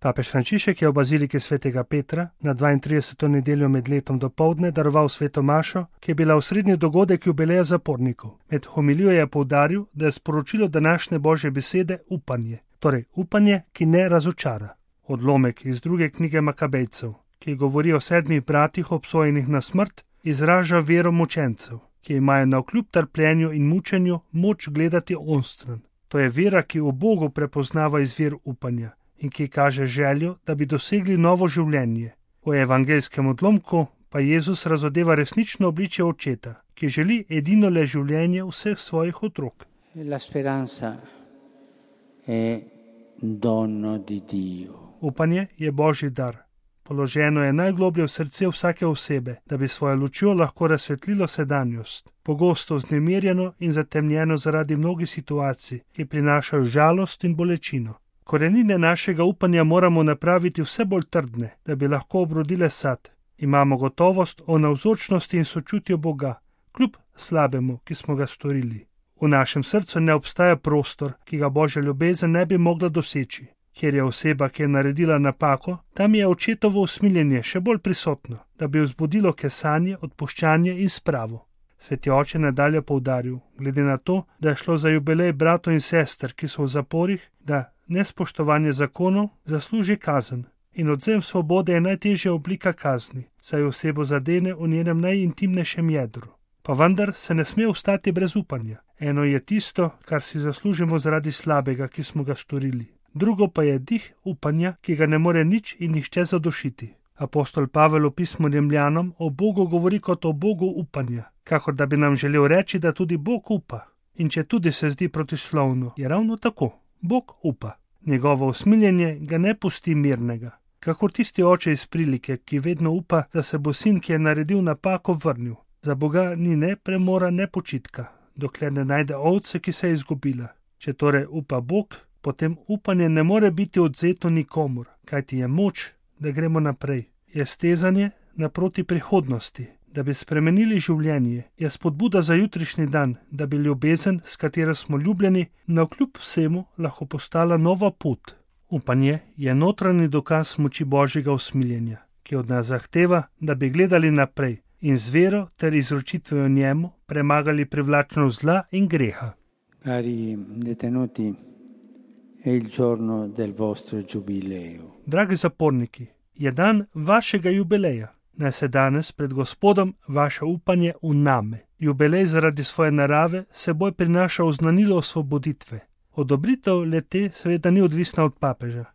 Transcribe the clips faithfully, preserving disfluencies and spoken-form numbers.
Papež Frančišek je v baziliki svetega Petra na dvaintrideseto nedeljo med letom dopoldne daroval sveto mašo, ki je bila osrednji dogodek jubileja zapornikov. Med homilijo je poudaril, da je sporočilo današnje božje besede upanje, torej upanje, ki ne razočara. Odlomek iz druge knjige Makabejcev, ki govori o sedmih bratih obsojenih na smrt, izraža vero mučencev, ki imajo navkljub trpljenju in mučenju moč gledati onstran. To je vera, ki v Bogu prepoznava izvir upanja in ki kaže željo, da bi dosegli novo življenje. V evangelskem odlomku pa Jezus razodeva resnično obličje očeta, ki želi edinole življenje vseh svojih otrok. La speranza è dono di Dio. Upanje je božji dar. Položeno je najgloblje v srce vsake osebe, da bi svojo lučjo lahko razsvetlilo sedanjost, pogosto vznemirjeno in zatemnjeno zaradi mnogih situacij, ki prinašajo žalost in bolečino. Korenine našega upanja moramo napraviti vse bolj trdne, da bi lahko obrodile sad. Imamo gotovost o navzočnosti in sočutju Boga, kljub slabemu, ki smo ga storili. V našem srcu ne obstaja prostor, ki ga božja ljubezen ne bi mogla doseči. Kjer je oseba, ki je naredila napako, tam je očetovo usmiljenje še bolj prisotno, da bi vzbudilo kesanje, odpuščanje in spravo. Sveti oče nadalje poudaril, glede na to, da je šlo za jubilej bratov in sester, ki so v zaporih, da nespoštovanje zakonov zasluži kazen in odvzem svobode je najtežja oblika kazni, saj osebo zadene v njenem najintimnejšem jedru. Pa vendar se ne sme ostati brez upanja. Eno je tisto, kar si zaslužimo zaradi slabega, ki smo ga storili. Drugo pa je dih upanja, ki ga ne more nič in nihče zadošiti. Apostol Pavel v pismu Rimljanom o Bogu govori kot o Bogu upanja, kakor da bi nam želel reči, da tudi Bog upa. In če tudi se zdi protislovno, je ravno tako. Bog upa. Njegovo usmiljenje ga ne pusti mirnega. Kakor tisti oče iz prilike, ki vedno upa, da se bo sin, ki je naredil napako, vrnil. Za Boga ni ne premora, ne počitka, dokler ne najde ovce, ki se je izgubila. Če torej upa Bog, potem upanje ne more biti odvzeto nikomur, kajti je moč, da gremo naprej. Je stezanje naproti prihodnosti, da bi spremenili življenje, je spodbuda za jutrišnji dan, da bi ljubezen, s katero smo ljubljeni, navkljub vsemu lahko postala nova pot. Upanje je notranji dokaz moči božjega usmiljenja, ki od nas zahteva, da bi gledali naprej in z vero ter izročitvijo njemu premagali privlačnost zla in greha. Cari detenuti, è il giorno del vostro giubileo. Dragi zaporniki, je dan vašega jubileja. Naj se danes pred Gospodom vaše upanje vname. Jubilej zaradi svoje narave seboj prinaša oznanilo osvoboditve. Odobritev le-te seveda ni odvisna od papeža,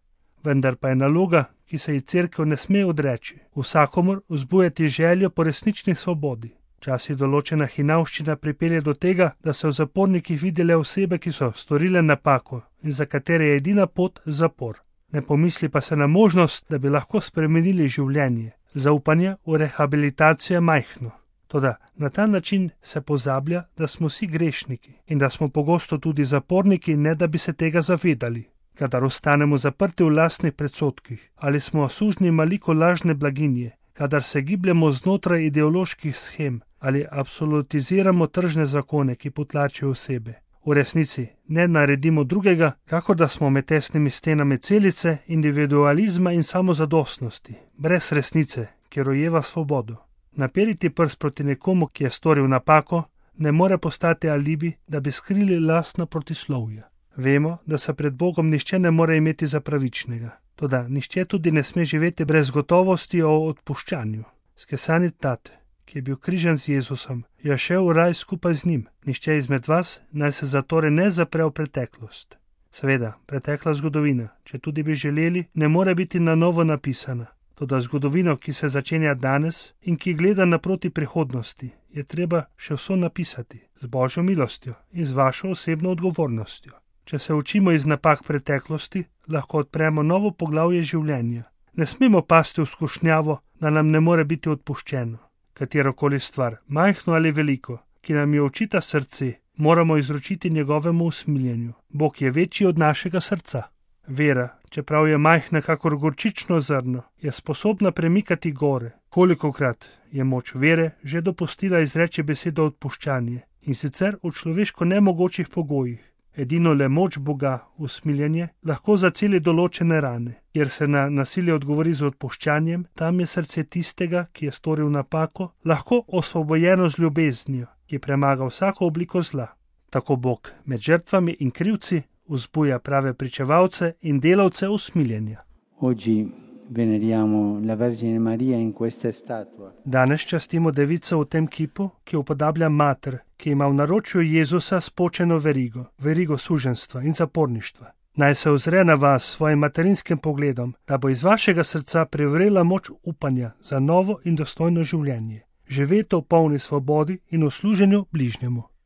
vendar pa je naloga, ki se ji cerkev ne sme odreči. Vsakomur vzbujati željo po resnični svobodi. Včasih določena hinavščina pripelje do tega, da se v zapornikih vidi le osebe, ki so storile napako in za katere je edina pot zapor. Ne pomisli pa se na možnost, da bi lahko spremenili življenje. Zaupanje v rehabilitacijo je majhno. Toda na ta način se pozablja, da smo vsi grešniki in da smo pogosto tudi zaporniki, ne da bi se tega zavedali. Kadar ostanemo zaprti v lastnih predsodkih ali smo sužnji maliko lažne blaginje, kadar se gibljemo znotraj ideoloških shem ali absolutiziramo tržne zakone, ki potlačijo osebe. V resnici ne naredimo drugega, kakor da smo med tesnimi stenami celice, individualizma in samozadostnosti, brez resnice, ki rojeva svobodo. Naperiti prst proti nekomu, ki je storil napako, ne more postati alibi, da bi skrili lastna protislovja. Vemo, da se pred Bogom nihče ne more imeti za pravičnega. Toda nihče tudi ne sme živeti brez gotovosti o odpuščanju. Skesani tate, ki je bil križan z Jezusom, je šel v raj skupaj z njim. Nihče izmed vas naj se zatorej ne zapre v preteklost. Seveda, pretekla zgodovina, če tudi bi želeli, ne more biti na novo napisana. Toda zgodovino, ki se začenja danes in ki gleda naproti prihodnosti, je treba še vso napisati, z Božjo milostjo in z vašo osebno odgovornostjo. Če se učimo iz napak preteklosti, lahko odpremo novo poglavje življenja. Ne smemo pasti v skušnjavo, da nam ne more biti odpuščeno. Katerokoli stvar, majhno ali veliko, ki nam jo očita srce, moramo izročiti njegovemu usmiljenju. Bog je večji od našega srca. Vera, čeprav je majhna kakor gorčično zrno, je sposobna premikati gore. Kolikokrat je moč vere že dopustila izreči besedo odpuščanje, in sicer v človeško nemogočih pogojih. Edino le moč Boga, usmiljenje, lahko zaceli določene rane. Kjer se na nasilje odgovori z odpuščanjem, tam je srce tistega, ki je storil napako, lahko osvobojeno z ljubeznijo, ki premaga vsako obliko zla. Tako Bog med žrtvami in krivci vzbuja prave pričevalce in delavce usmiljenja. Oggi veneriamo la Vergine Maria in questa statua. Danes častimo devico v tem kipu, ki upodablja mater, ki ima v naročju Jezusa spočeno verigo, verigo suženstva in zaporništva. Naj se ozre na vas s svojim materinskim pogledom, da bo iz vašega srca privrela moč upanja za novo in dostojno življenje. Živete v polni svobodi in v služenju bližnjemu.